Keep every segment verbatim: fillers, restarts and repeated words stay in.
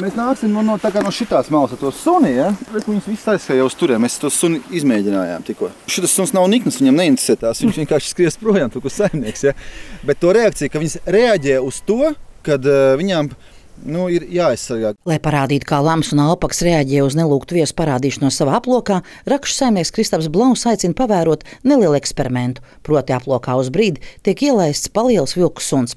Mēs nāksim no, no, tā kā no šitās malas ar to suni, ja? Bet viņas viss aizskrēja uz turiem. Mēs to suni izmēģinājām tikko. Šitas suns nav niknas, viņam neinteresē tās. Viņš vienkārši skries projām, tur, kur saimnieks, ja? Bet to reakciju, ka viņas reaģē uz to, kad uh, viņām nu, ir jāaizsargā. Lai parādītu, kā lamas un alpakas reaģē uz nelūgtu viesu parādīšanos savā aplokā, rakšu saimnieks Kristaps Blaus aicina pavērot nelielu eksperimentu. Proti aplokā uz brīdi tiek ielaists paliels vilku suns.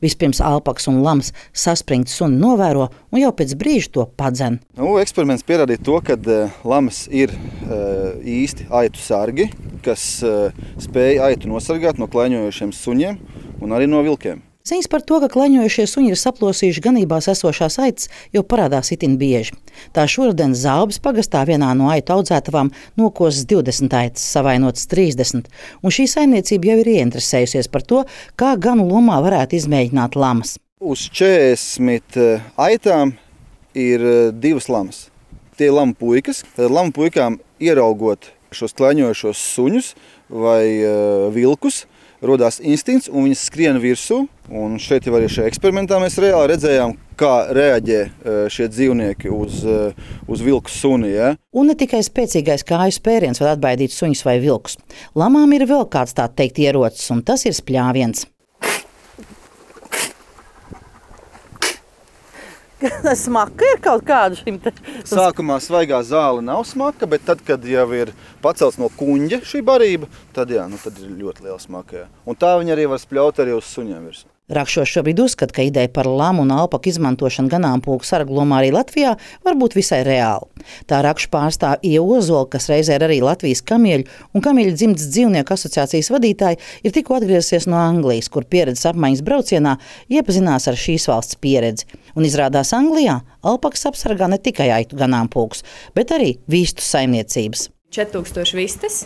Vispirms alpakas un lamas saspringti suni novēro un jau pēc brīža to padzen. Nu, eksperiments pierādīja to, ka uh, lamas ir uh, īsti aitu sargi, kas uh, spēja aitu nosargāt no klaiņojošiem suņiem un arī no vilkiem. Ziņas par to, ka klaņojušie suņi ir saplosījuši ganībās esošās aitas, jau parādās itin bieži. Tā šoruden Zābes pagastā vienā no aitu audzētavām nokosas divdesmit aitas, savainotas trīsdesmit, un šī saimniecība jau ir ieinteresējusies par to, kā ganu lomā varētu izmēģināt lamas. Uz četrdesmit aitām ir divas lamas. Tie ir lamu puikas. Tad lamu puikām ieraugot šos klaņojošos suņus vai uh, vilkus, rodās instinkts un viņas skrien virsū. Un šeit jau arī šajā eksperimentā mēs reāli redzējām, kā reaģē šie dzīvnieki uz, uz vilku suni. Ja? Un ne tikai spēcīgais kāju spēriens var atbaidīt suņus vai vilkus. Lamām ir vēl kāds tā teikt ierocis, un tas ir spļāviens. Smaka ir kaut kāda šim te... Sākumā svaigā zāle nav smaka, bet tad, kad jau ir pacelts no kuņģa šī barība, tad, jā, nu, tad ir ļoti liela smaka. Jā. Un tā viņa arī var spļaut arī uz suņiem virsmu. Rakšos šobrīd uzskata, ka ideja par lamu un alpaku izmantošanu ganāmpulku sarglomā arī Latvijā var būt visai reāla. Tā rakšu pārstāv Ieva Ozola, kas reizē ir arī Latvijas kamieļu un kamieļu dzimtas dzīvnieku asociācijas vadītāja, ir tikko atgriezusies no Anglijas, kur pieredzes apmaiņas braucienā iepazinās ar šīs valsts pieredzi. Un izrādās Anglijā alpakas apsargā ne tikai aitu ganāmpulkus, bet arī vistu saimniecības. četri tūkstoši vistas.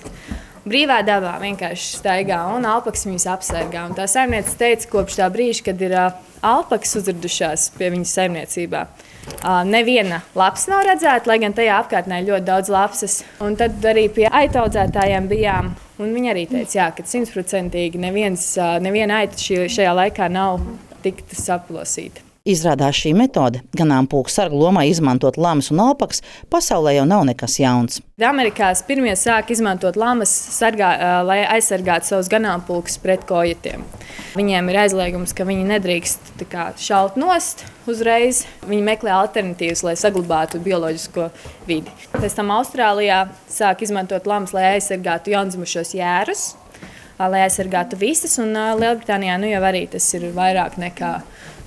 Brīvā dabā vienkārši staigā un alpakas viņus apsargā. Un tā saimniece teica, kopš tā brīža, kad ir uh, alpakas uzradušās pie viņas saimniecībā, uh, neviena lapas nav redzēta, lai gan tajā apkārtnē ir ļoti daudz lapsas. Un tad arī pie aitu audzētājiem bijām. Un viņi arī teica, jā, ka simtprocentīgi neviens, uh, neviena aita šī, šajā laikā nav tikta saplosīta. Izrādās šī metode, ganāmpulku sargu lomā izmantot lamas un alpakas, pasaulē jau nav nekas jauns. Amerikās pirmie sāk izmantot lamas, sargā, lai aizsargātu savus ganāmpulkus pret kojatiem. Viņiem ir aizliegums, ka viņi nedrīkst tā kā, šaut nost uzreiz. Viņi meklē alternatīvas, lai saglabātu bioloģisko vidi. Pēc tam Austrālijā sāk izmantot lamas, lai aizsargātu jaundzimušos jērus, lai aizsargātu vistas, un Lielbritānijā nu jau arī tas ir vairāk nekā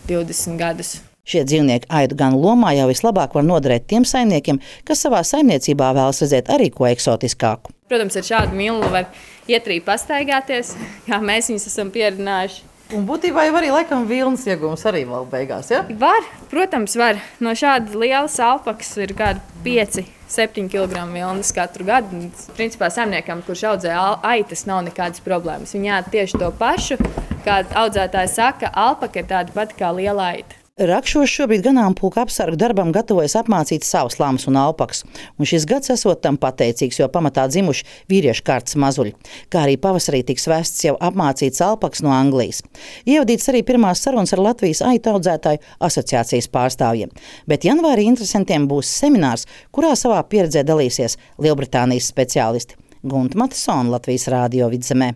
divdesmit gadus. Šie dzīvnieki aitu ganu lomā jau vislabāk var noderēt tiem saimniekiem, kas savā saimniecībā vēlas redzēt arī ko eksotiskāku. Protams, ar šādu milnu var ietrīt pastaigāties, kā mēs viņus esam pieredzinājuši. Un būtībā jau arī laikam vilnas iegūms arī vēl beigās, ja? Var, protams, var. No šāda lielas alpakas ir kādi pieci septiņi kilogrami vilnas katru gadu. Principā saimniekam, kurš audzē aitas, nav nekādas problēmas. Viņi ēd tieši to pašu, kā audzētāji saka, alpaka ir tāda pati kā liela aita. Rakšos šobrīd ganāmpulku apsargu darbam gatavojas apmācīt savus lamas un alpakas, un šis gads esot tam pateicīgs, jo pamatā dzimuši vīriešu kārtas mazuļi, kā arī pavasarī tiks vests jau apmācīts alpakas no Anglijas. Ievadīts arī pirmās sarunas ar Latvijas aitu audzētāju asociācijas pārstāvjiem, bet janvārī interesantiem būs seminārs, kurā savā pieredzē dalīsies Lielbritānijas speciālisti. Gunta Matisona, Latvijas Rādio Vidzemē.